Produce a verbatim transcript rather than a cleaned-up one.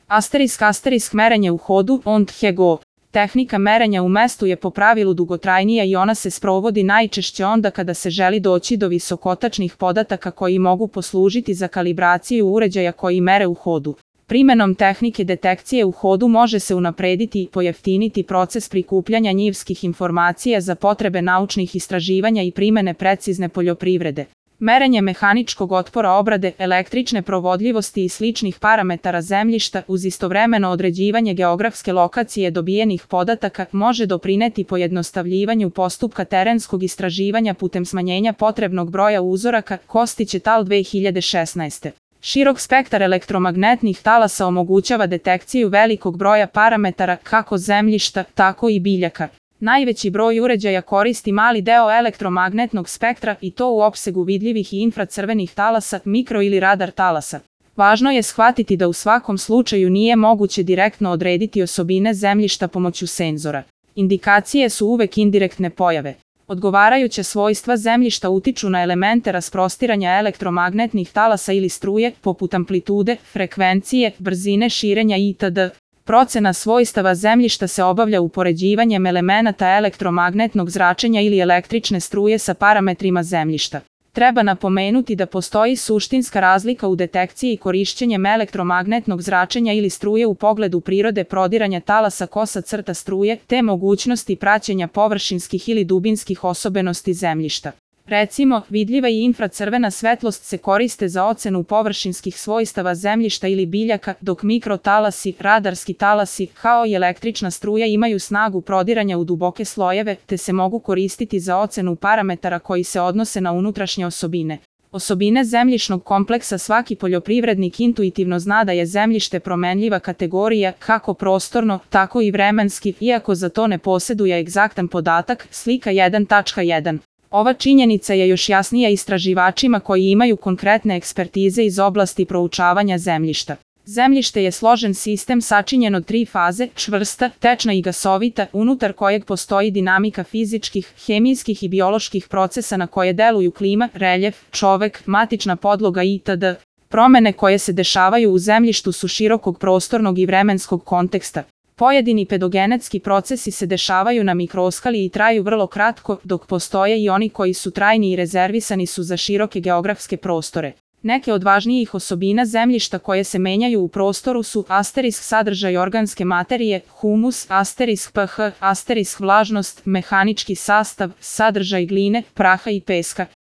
Asterisk asterisk merenje u hodu, on go. Tehnika merenja u mestu je po pravilu dugotrajnija i ona se sprovodi najčešće onda kada se želi doći do visokotačnih podataka koji mogu poslužiti za kalibraciju uređaja koji mere u hodu. Primenom tehnike detekcije u hodu može se unaprediti i pojeftiniti proces prikupljanja njivskih informacija za potrebe naučnih istraživanja i primene precizne poljoprivrede. Merenje mehaničkog otpora obrade, električne provodljivosti i sličnih parametara zemljišta uz istovremeno određivanje geografske lokacije dobijenih podataka može doprineti pojednostavljivanju postupka terenskog istraživanja putem smanjenja potrebnog broja uzoraka, Kostić et al. dve hiljade šesnaeste. Širok spektar elektromagnetnih talasa omogućava detekciju velikog broja parametara kako zemljišta, tako i biljaka. Najveći broj uređaja koristi mali deo elektromagnetnog spektra i to u opsegu vidljivih i infracrvenih talasa, mikro ili radar talasa. Važno je shvatiti da u svakom slučaju nije moguće direktno odrediti osobine zemljišta pomoću senzora. Indikacije su uvek indirektne pojave. Odgovarajuća svojstva zemljišta utiču na elemente rasprostiranja elektromagnetnih talasa ili struje, poput amplitude, frekvencije, brzine širenja itd. Procena svojstava zemljišta se obavlja upoređivanjem elemenata elektromagnetnog zračenja ili električne struje sa parametrima zemljišta. Treba napomenuti da postoji suštinska razlika u detekciji korišćenjem elektromagnetnog zračenja ili struje u pogledu prirode prodiranja talasa kosa crta struje, te mogućnosti praćenja površinskih ili dubinskih osobenosti zemljišta. Recimo, vidljiva i infracrvena svetlost se koriste za ocenu površinskih svojstava zemljišta ili biljaka, dok mikrotalasi, radarski talasi, kao i električna struja imaju snagu prodiranja u duboke slojeve, te se mogu koristiti za ocenu parametara koji se odnose na unutrašnje osobine. Osobine zemljišnog kompleksa svaki poljoprivrednik intuitivno zna da je zemljište promenljiva kategorija, kako prostorno, tako i vremenski, iako za to ne posjeduje egzaktan podatak, slika jedan tačka jedan. Ova činjenica je još jasnija istraživačima koji imaju konkretne ekspertize iz oblasti proučavanja zemljišta. Zemljište je složen sistem sačinjen od tri faze, čvrsta, tečna i gasovita, unutar kojeg postoji dinamika fizičkih, hemijskih i bioloških procesa na koje deluju klima, reljef, čovek, matična podloga itd. Promene koje se dešavaju u zemljištu su širokog prostornog i vremenskog konteksta. Pojedini pedogenetski procesi se dešavaju na mikroskali i traju vrlo kratko, dok postoje i oni koji su trajni i rezervisani su za široke geografske prostore. Neke od važnijih osobina zemljišta koje se menjaju u prostoru su asterisk sadržaj organske materije, humus, asterisk pH, asterisk vlažnost, mehanički sastav, sadržaj gline, praha i peska.